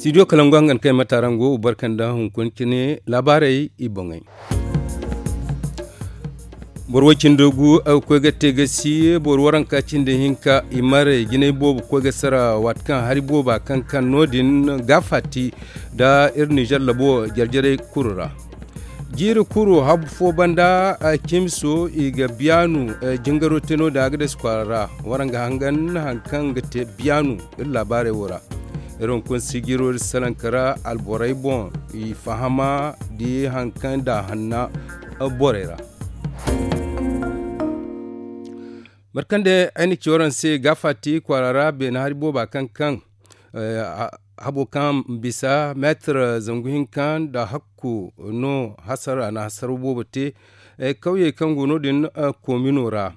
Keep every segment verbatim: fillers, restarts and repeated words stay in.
Studio kalangu hangan kay matarango barkanda hunkuna cine laabaarey i boŋey. Boro way cindi gu koy ga te ga si boro waranka cindi hinka i maray jinay boobo koy ga sara waati kaŋ hari booba kaŋ kaŋ no- din ga faati nda iri nizer labo jarjaray kulu ra. Jiiri kulu habu fo banda cimso i ga biyaanu jingaro te no- din a ga dasi kwaara ra. Waraŋ ga hangan hari kaŋ ga te biyaanu iri laabaarey wo ra. Iri hunkuna sijiro iri salaŋ ka ra alborey boŋ i fahama di hari kaŋ da hanna borey ra. Mate kaŋ day ay na ci waraŋ se ga faati kwaara ra beene hari booba kaŋ kaŋ habo kaŋ bisa meetir zangu hinka nda hakku no hasara a na hasara boobo te. Kawyey kaŋ go no- din komino ra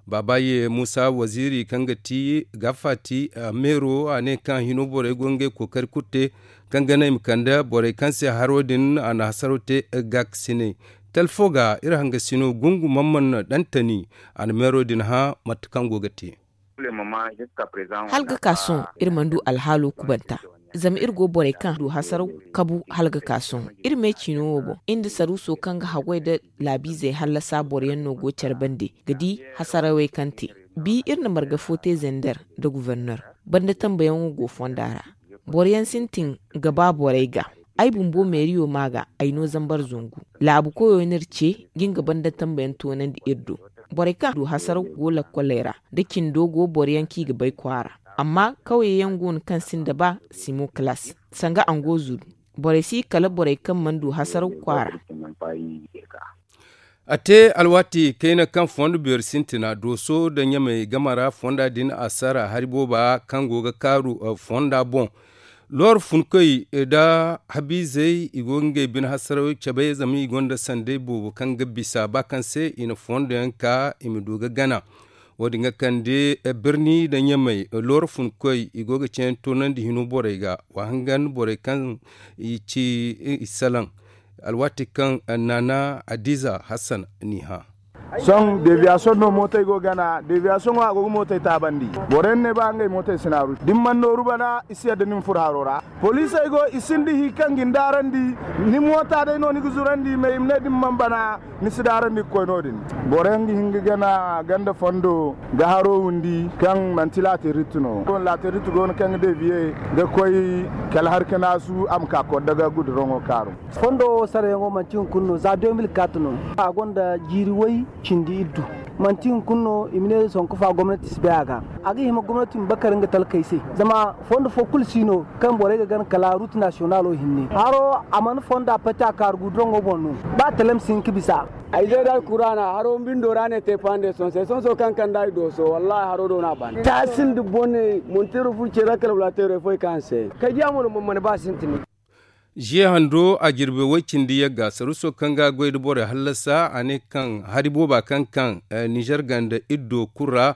baabaye muusa waziiri kaŋ ga ti ga faati meero a ne kaŋ hino borey go ngey kookari kulu te kaŋ ga naŋ i ma kande borey kaŋ se haro din a na hasaro te gaakasiney. Talfo ga iri hangasino gungu mamman dantani a na meero din hã mate kaŋ go ga te. Hala ga ka sohõ iri mana du alhaalo kubanta. Zama iri go borey kaŋ du hasaraw kabu hala ga ka sohõ iri me ciino wo boŋ iri nda saruuso kaŋ ga haggoy nda laabiizey hallasa boro yaŋ no go care bande ga di hasarawey kaŋ te. Bi iri na marga fo te zender nda guverner banda tambayaŋo go fonda ra. Boro yaŋ sintin ga ba borey ga. Ay bumbo meeriyo ma ga ay no zambar zangu laabu koyo no iri ce ga nga banda tambayaŋ toonandi iri do. Borey kaŋ du hasaraw go lakkoley ra da cindo go boro yaŋ kaŋ i ga bay kwaara. Amma kawye yaŋ go no kaŋ sinda ba simo kalaas sanga ango zuru. Borey si kala borey kaŋ mana du hasaraw kwaara. A te alwaati kayna kaŋ fondo beeri sintina dooso nda ɲamey game ra fonda din a sara hari booba kaŋ go ga kaaru fonda boŋ. Looro funkoy nda habiizey i go ga ngey bine hasaraw cabe zama i gonda sanday boobo kaŋ ga bisa ba kaŋ se i na fondo yaŋ ka i ma du ga gana. Wo- din ga kande birni nda ɲamey looro funkoy i go ga ceeyaŋ toonandi hino borey ga wa hangan borey kaŋ i ci i salaŋ. Alwaati kaŋ naana adiza hassan n'i hã. Sohõ deviyasoŋ no mootey go gana deviyasoŋo a go ga mootey taabandi. Boro yaŋ ne ba ngey mootey si naaru da ni mana nooru bana i si yadda ni ma furo haro ra. Poliisey go i sinda hi kaŋ ga ni daarandi. Ni moota day no ni ga zurandi mais i ma ne da ni mana bana ni si daarandi ga koy no- din. Boro yaŋ ga hin ga gana ganda fondo ga haro windi kaŋ manti laaterit no. Laaterit go no kaŋ ga deviye ga koy kala hari ka naasu a ma ka kodda ga guduraŋo kaaru. Fondo wo sarayaŋo manti hunkuna no za deux mille quatre no. A gonda jiiri way cindi iddu. Manti hunkuna no i ma ne sonko fa gomnati si bay a ga. A ga hima gomnati ma bakar nga talkey se zama fondo fo kulu si no kaŋ borey ga gana kala route nationalo hinne haro a mana fonda pati a kaaru guduraŋo boŋ no. Ba talem si hin ka bisa. Ay zay da alkuraana haro bindo ra ne te fande sonse sonso kaŋ kanda ay dooso wallahi haro do no a ban taasin da bone monteero furo ce ra kala wala teero ay foy kaŋ se. Kay diya mo no mana ba sintin. Ziye hando a jirbi way cindi yagga saruso kaŋ ga goy da borey hallasa a ne kaŋ hari booba kaŋ kaŋ nizer ganda iddo kulu ra.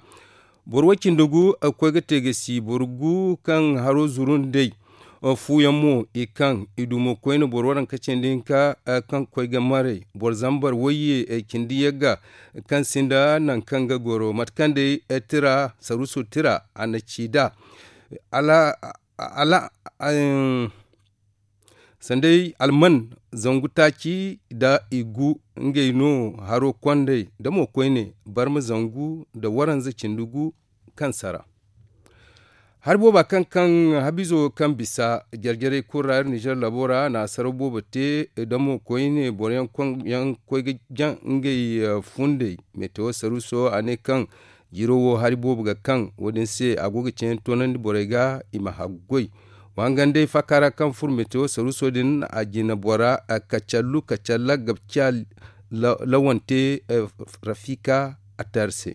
Boro way cindi gu koy ga te ga si boro gu kaŋ haro zuru nd'ey fuuyaŋ mo i kaŋ i du mo koyne boro waranka cindi hinka kaŋ koy ga maray boro zambar wayye cindi yagga kaŋ sinda nangu kaŋ ga goro mate kaŋ day tira saruso tira a na ci nd'a. Ala ala sanday alman zangu taaci nda i gu ngey no haro kondey nda mo koyne barma zangu nda waranza cindi gu kaŋ sara. Hari booba kaŋ kaŋ habizo kaŋ bisa jarjarey kulu ra iri nizer labo ra na saraw boobo te nda mo koyne boro yaŋ koy ga jaŋ ngey fundey metewo saruso a ne kaŋ jiro wo hari boobo ga kaŋ wo- din se a go ga ceeyaŋ toonandi borey ga i ma haggoy. Wa hangan day faaka ra kaŋ furo metewo saruso din a jina bora kacallu kacalla ga ciya lawante rafika attaari se.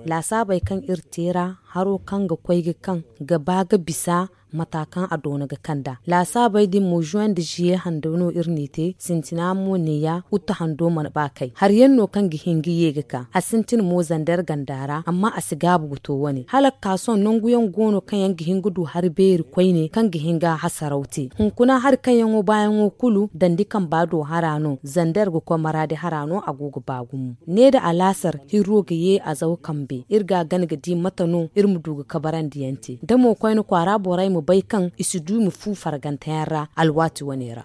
Laasaabey kaŋ iri te ra haro kaŋ ga koy ga kaŋ ga ba ga bisa Mata kaŋ a doona ga kand'a laasaabey din mo juwen nda ziye hando no iri n'i te sintina mo neeya huttu hando mana ba kay hari yaŋ no kaŋ ga hin ga ye ga ka a sintin mo zander ganda ra amma a si gaabu ga to wane hala ga ka sohõ nangu yaŋ go no kaŋ yaŋ ga hin ga du hari beeri koyne kaŋ ga hin ga hasaraw te hunkuna hari kaŋ yaŋo baayaŋo kulu dandi kamba do hara no zander ga koy maraadi hara no a go ga ba gumo ne nda alaasar hirro ga ye a zaw kambe iri ga a gana ga di mate no iri ma du ga kabarandi yaŋ te da mo koyne kwaara borey ma bay kaŋ i si du i ma fu fargante yaŋ ra alwaati wane ra.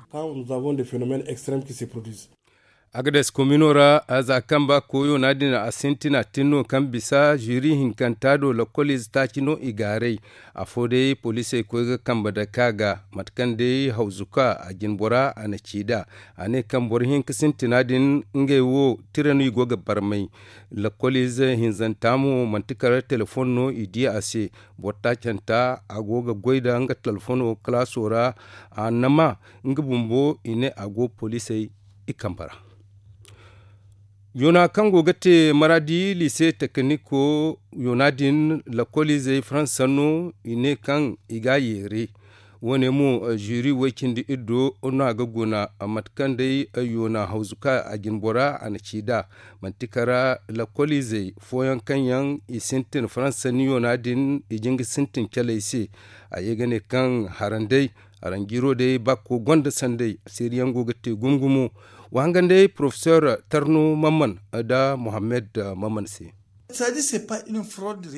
Agades komino ra za kaŋ ba koyo no a din a sintina tin no kaŋ bisa ziri hinkanta do lakkol ize taaci no i gaaray. Afo day poliisey koy ga kambe dake a ga mate kaŋ day hawzuka a jinbora a na ci nd'a. A ne kaŋ boro hinka sintina din ngey wo tira no i go ga barmay. Lakkol ize hinzanta mo manti kala telefoŋ no i di a se. Boro taacanta a go ga goy nda nga telefoŋo kalaaso ra. A na ma nga bumbo i ne a go poliisey i kambe ra. Yoona kaŋ go ga te maraadi liise tekiniko yoona din lakkol izey faransa no i ne kaŋ i ga a yeere. Wo- ne mo ziri way- cindi iddo no a ga guna mate kaŋ day yoona hawzu ka a jinbora a na ci nd'a. Manti kara lakkol izey fooyaŋ kaŋ yaŋ i sintin faransa ni yoona din i jin ga sintin caley se. A ye ga ne kaŋ haranday haranjiiro day bakko gonda sanday seeriyaŋ go ga te gumo gumo. Wa hangan day porofesor tarno mamman nda mohammed mamman se.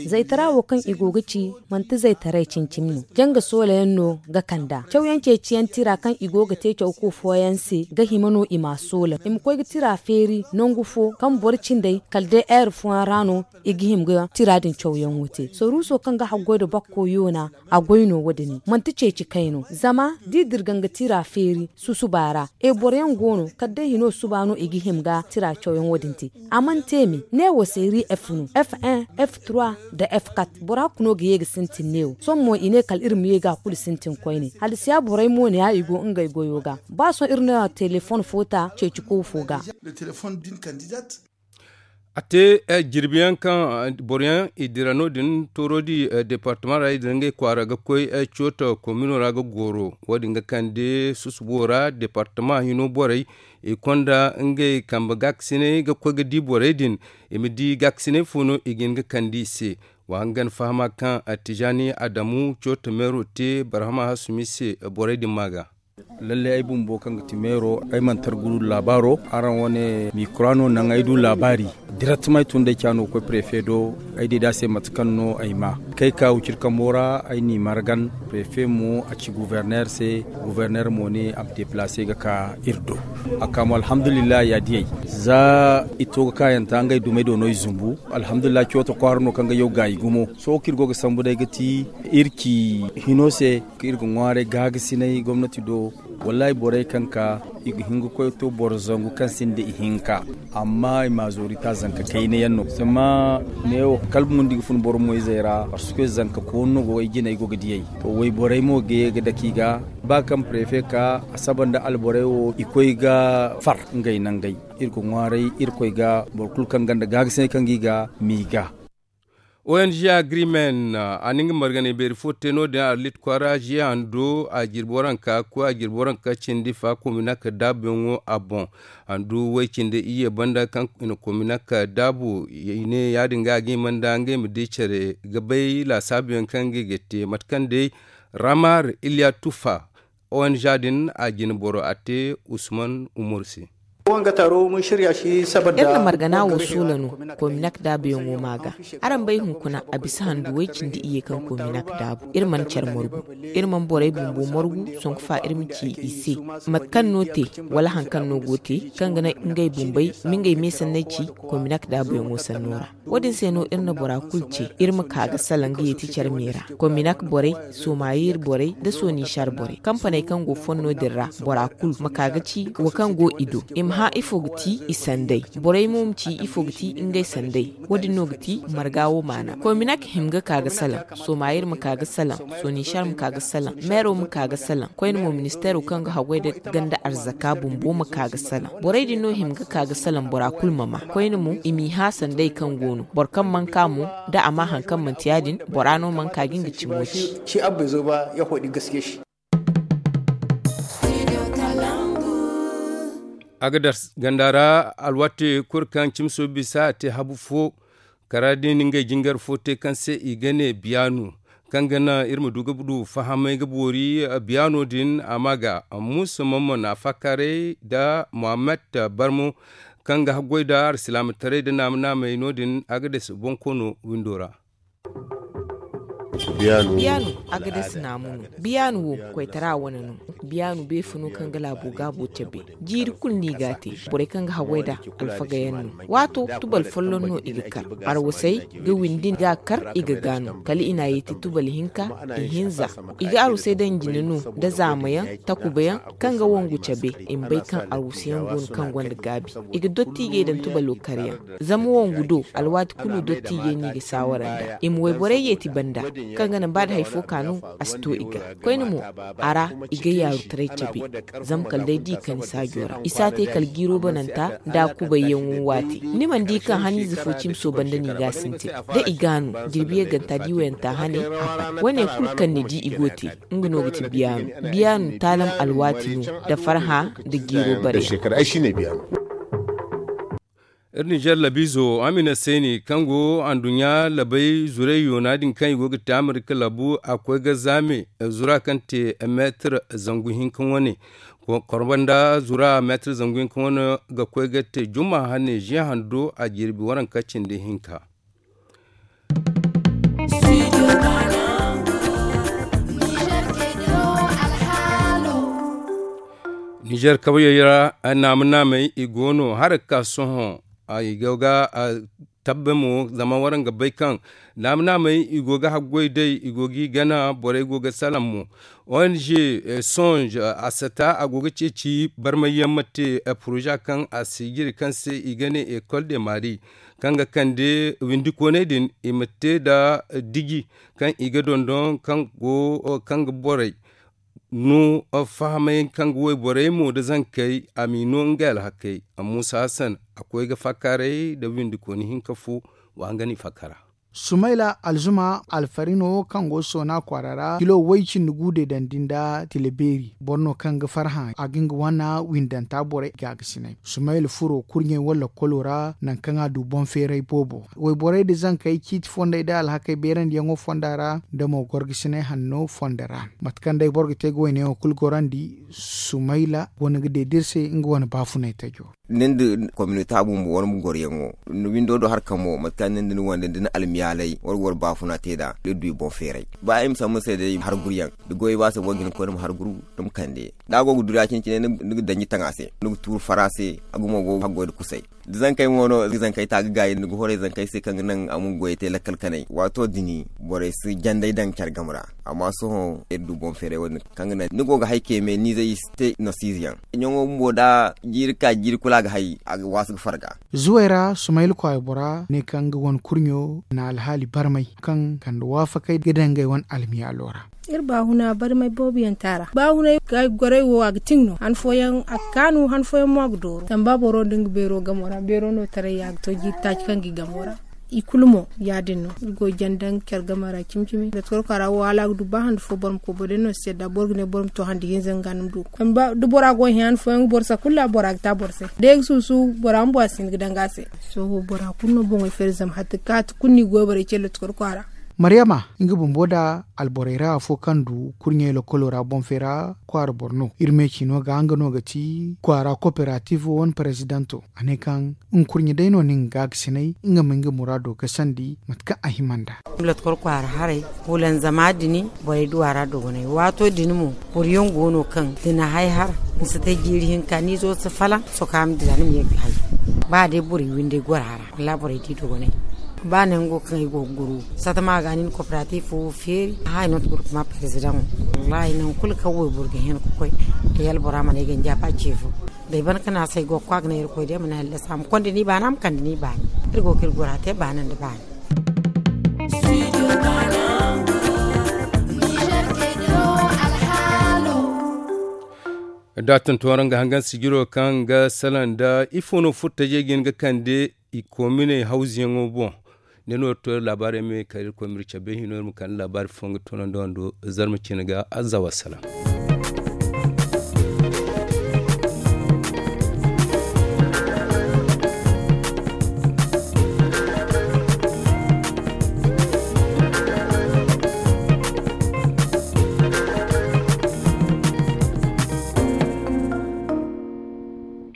Zaytara wo kaŋ i go ga ci manti zaytaray cimi-cimi no janga soola yaŋ no ga kand'a cawyaŋ ceeciyaŋ tira kaŋ i go ga te cawko fooyaŋ se ga hima no i m'a soola i ma koy ga tira feeri nangu fo kaŋ boro cindey kala day heure fooyaŋ ra no i ga hima ga tira din cawyaŋo te saruuso kaŋ ga haggoy nda bakko yoona. A goy no wo- din manti ceeci kay no zama da i dirga nga tira feeri susuba ra. E boro yaŋ go no kala day hino suba no i ga hima ga tira cawyaŋo din te. A mana te me ne wo se ri f no f un f trois nda f quatre bora kuno ga ye ga sintin ne wo sohõ mo i ne kala iri ma ye ga a kulu sintin koyne hala si ya borey mo ne ya i go ngey goyo ga. Ba sohõ iri na telefoŋ fo ta ceeci koofo ga. A te jirbi yaŋ kaŋ boro yaŋ i dira no- din tooro di departama ra i dira ngey kwaara ga koy cooto komino ra ga goro wo- din ga kande susubo ra departama hino borey i konda ngey kambe gaakasinay ga koy ga di borey din. I ma di gaakasinay fo no i ga hin ga kande i se. Wa hangan fahama kaŋ tijaani adamu cooto meero te barhama hasumi se borey din ma ga. Lalle ay bumbo kaŋ ga ti meero ay mana tar ga du laabaaro. Araŋ wane mikura no naŋ ay du laabaari. Direttement ay tun day caano ga koy prefe do. Ay di da se mate kaŋ no ay ma kay ka wicir kambo ra ay n'i margan. Prefe mo a ci guverner se. Guverner mo ne a ma deplace ga ka iri do. A ka mo alhamdulillahi ya diyey za i to ga kaayanta ngey dumey do no i zumbu. Alhamdulillahi cooto kwaara no kaŋ ga yaw gaayi gumo sohõ kaŋ iri go ga sambu day ga ti iri ci hino se. Kaŋ iri ga ŋwaaray gaagasinay gomnati do. Wallaahi borey kaŋ ka i ga hin ga koy to boro zangu kaŋ sinda ihinka. Amma i ma zoori ta zanka kayna yaŋ no zama neewo kala bundi ga fun boro moyzey ra parce que zanka koonu no go ay jinay go ga diyey. To wayborey mo ga ye ga dake i ga ba kaŋ prefe ka a saba nda alborey wo i koy ga far ngey nangey. Iri ga ŋwaaray irkoy ga boro kulu kaŋ ganda gaagasinay kaŋ ga i ga m'i ga. O N G agreement a na nga marganay beeri fo te no- din arlit kwaara ziya hando a jirbi waranka koy a jirbi waranka cindi fa kominak daabuyaŋo a boŋ. Handu way cindi iyye banda kaŋ i na kominak daabu i ne ya- din ga a ga hima nda ngey ma di care ga bay laasaabuyaŋ kaŋ ngey ga te mate kaŋ day ramar iliya tufa. O N G din a jine boro a te usman umaru se. Iri na margana wo suula no kominak daabuyaŋo ma ga. Araŋ bay hunkuna a bisa handu way cindi iyye kaŋ kominak daabu iri mana care margu. Iri mana borey bumbo margu songu fa iri ma ci i se mate kaŋ no te wala hari kaŋ no go te kaŋ ga naŋ ngey bumbey ma ngey me sanney ci kominak daabuyaŋo sanno ra. Wo- din se no iri na bora kulu ce iri ma ka ga salaŋ ga yeeti care me ra. Kominak borey somayir borey nda sonishar borey kampaney kaŋ go fonno din ra bora kulu ma ka ga ci wo kaŋ go i do i ma Hã ifo ga ti i sanday? Borey mo ma ci ifo ga ti ngey sanday? Wo- din no ga ti marga wo maana. Kominak hima ga ka ga salaŋ. Somayir ma ka ga salaŋ. Soninšar ma ka ga salaŋ. Meero ma ka ga salaŋ. Koyne mo ministeero kaŋ ga haggoy nda ganda arzaka bumbo ma ka ga salaŋ. Borey din no hima ga ka ga salaŋ bora kulu ma ma. Koyne mo i m'i hã sanday kaŋ go no. Boro kaŋ mana ka mo, da a ma haŋ kaŋ manti ya- din, bora no mana ka ga nga cimo ci. Agadas ganda ra, alwaati kulu kaŋ cimso bisa a te habu fo, kara din ngey jingar fo te kaŋ se i ga ne biyaanu, kaŋ ga naŋ iri ma du ga du fahamay ga boori. Biyaano din a ma ga musa mamman a faakaaray nda muhammad barmo, kaŋ ga haggoy nda alsilaamataray nda naama-naamay no- din. Agadas bonkoono windo ra. Biyaanu, agadas naamu no. Biyaanu wo, koytara wane no. Biyaanu beefa no kaŋ ga laabo gaabo cabe. Jiiri kulu no i g'a te. Borey kaŋ ga haggoy nd'a, alfaga yaŋ no. Waato, tubal folloŋ no i ga kar. Arwasey ga windi ga kar i ga gaanu, kala i n'a yeeti tubal hinka, ihinza. I ga arwasey daŋ jine no, nda zaama yaŋ, takuba yaŋ, kaŋ ga wangu cabe. I ma bay kaŋ arwasa yaŋ go no kaŋ gonda gaabi. I ga dottiijey daŋ tubalo kar yaŋ. Zama wangu do, alwaati kulu dottiijey no i ga saawara nd'a. I ma wayborey yeeti banda, kaŋ ga naŋ ba da hari fo ka no, a si to i ga. Koyne mo, a ra, i ga yaarutaray cabe. Zama kala day da i kani saajo ra, i si a te kala jiiro bananta nda a kubayyaŋo waati. Ni mana di kaŋ haniize fo cimso banda no i ga a sintin. Da i gaanu, jirbi yagganta da i wayanta hane, a ban. Wo- ne kulu kaŋ ni di i go te, nga no ga ti biyaanu. Biyaanu taalam alwaati no, nda farhã, nda jiiro bare. Iri ninzeer labiizo amina seeni kaŋ go anduɲɲa labay zurey yoona din kaŋ i go ga te amerika labu a koy ga zaame, zura kaŋ te meetir zangu hinka wane. Korba nda zura meetir zangu hinka wane ga koy ga te jumma hane ziya hando a jirbi waranka cindi hinka. Nizer kawyey ra, naama-naamey i go no hala ga ka sohõ. I go ga tabbe mo zama waraŋ ga bay kaŋ naama-naamey i go ga haggoy day, i go g'i gana, borey go ga salaŋ mo. Ong songe a sata a go ga ceeci barmayyaŋ ma te poroza kaŋ a si jire kaŋ se i ga ne école de mari, kaŋ ga kande windikooney din i ma te nda diji kaŋ i ga dondon kaŋ go kaŋ ga borey no fahamay kaŋ ga wayborey mo nda zankey a m'i no ngey alhakey. Musa hassan a koy ga fakkaaray nda windikooni hinka fo. Wa nga ni fakkara. Sumayla alzuma alfarino kaŋ go soona kwaara ra kilo way cindi gu deedandi nda tila beeri boro no kaŋ ga farhã a ga nga wane windanta borey gaagasinay. Sumayla furo kurɲey wala lakkolo ra nangu kaŋ a du boŋ feeray boobo wayborey nda zankey ciiti fondey nda alhakey beerandiyaŋo fonda ra nda mo gorgasinay hanno fonda ra. Mate kaŋ day boro ga te ga wayneyaŋo kulu gorandi, sumayla wane ga deeda iri se nga wane baafunay tajo. Nin da kominote a bumbo wane bumbo goroyaŋo, windo do hari kaŋ mo mate kaŋ nin da ni wande da ni almiyaalay wala ga wara baafuna te nd'a iri du i boŋ feeray. Ba ay ma sambu ni se day hari guruyaŋ da goy ba se boro ga hin ga koy ni ma hari guru, ni ma kande da a go ga duru ya- cine-cine ni ga danji taŋ a se, ni ga tuuru far a se. A gumo go ga haggoy nda kusay. Da zankey mo no zankey ta ga gaayi ni ga horay zankey se kaŋ ga naŋ a ma goyey te lakkal kanay waato din borey si janday daŋ care game ra. Amma sohõ iri du boŋ feeray wo- din kaŋ ga naŋ ni go ga hay keme ni zay i si te nasiize yaŋ. Ɲaŋo bumbo da jiiri ka jiiri kulu a ga hay a ga waasu ga farga. Zuway ra sumayla kwaara bora ne kaŋ ga wane kurɲo na alhaali barmay kaŋ kande waafakay ga daŋ ngey wane almiyaalo ra. Iri baahuna barmay boobo yaŋ te a ra baahunay ga ay gorey wo a ga tiŋ no han fooyaŋ a ga kaanu han fooyaŋ mo a ga dooru zama ba boro nda nga beero gamo ra beero no taray ya ga to jiiri taaci kaŋ ga i gamo ra. I kulu mo ya- din no iri go ga jana daŋ care game ra cimi-cimi da torka ra wo hala a ga du ba hande fo boro ma koy boro day no si yadda boro ga ne boro ma to hande hinza nga no ma du ga koy da bora go ga hin han fooyaŋ ga boro se kulu ra bora ga ta boro se day ga suusu bora bumbo a si hin ga daŋ ga a se. Sohõ bora kulu no boŋey feeri zama hatti kaati kulu no i goy borey ce lotti koro kwaara. Maryama nga bumbo nda alborey ra afo kaŋ du kurɲey lokolo ra boŋ feera kwaara boro no iri me ciino ga nga no ga ti kwaara koperativo wane perezidanto. A ne kaŋ nga kurɲe day no nin ga ga sinay nga ma nga muraado ga sandi mate kaŋ a hima nd'a. Lotkor kwaara haray hulanzama din borey du a ra dogonay waato din mo boro yaŋ go no kaŋ da ni hay har ni si te jiiri hinka ni zo si falaŋ soka ma dira ni ma ye ga hay. Ba day borey windey goro a ra wallaahi borey di dogonay. Ba nango kaŋ ay go ga guru satama ga nin koperatif wo feeri. Hay no ti gurkuma perezidaŋo wallaahi nangu kulu kaŋ wayboro ga hin ga koy. Yala bora mana ay ga nja ba ce fo. Day ban ka naasay go ga kwa ga ne irkoy day ma ne hallasa ma konda ni baana ma kande ni baani. Iri go ga iri gora te baana nda baani. Da a tuntuwar nga hangan sijiro kaŋ ga salaŋ da ifo no furtajey ga hin ga kande i kominey hawzuyaŋo boŋ. Da no to laabaarey me kala irkoy ma iri cabe hino iri ma kande laabaari fo nga tunando wando. Zarma cine ga azza wassalam.